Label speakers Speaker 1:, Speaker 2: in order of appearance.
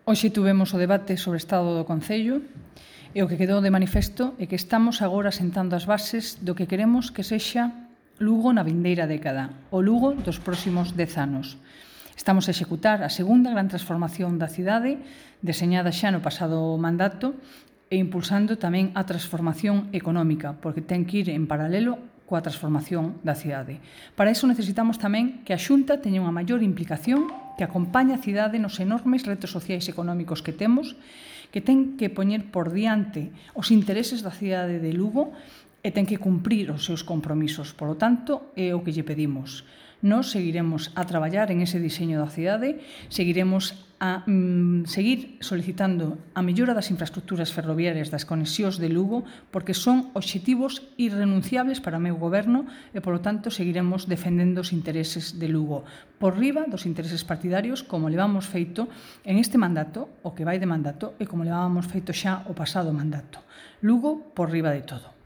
Speaker 1: Hoxe tuvemos o debate sobre o estado do Concello e o que quedou de manifesto é que estamos agora sentando as bases do que queremos que sexa Lugo na vindeira década, o Lugo dos próximos 10 anos. Estamos a executar a segunda gran transformación da cidade, deseñada xa no pasado mandato, e impulsando tamén a transformación económica, porque ten que ir en paralelo coa transformación da cidade. Para iso necesitamos tamén que a Xunta teña unha maior implicación, que acompañe a cidade nos enormes retos sociais e económicos que temos, que ten que poñer por diante os intereses da cidade de Lugo e ten que cumprir os seus compromisos. Por lo tanto, é o que lle pedimos. Nós seguiremos a traballar en ese diseño da cidade, seguiremos a seguir solicitando a mellora das infraestructuras ferroviarias das conexións de Lugo, porque son obxectivos irrenunciables para o meu goberno e, polo tanto, seguiremos defendendo os intereses de Lugo por riba dos intereses partidarios, como levamos feito en este mandato, o que vai de mandato, e como levábamos feito xa o pasado mandato. Lugo por riba de todo.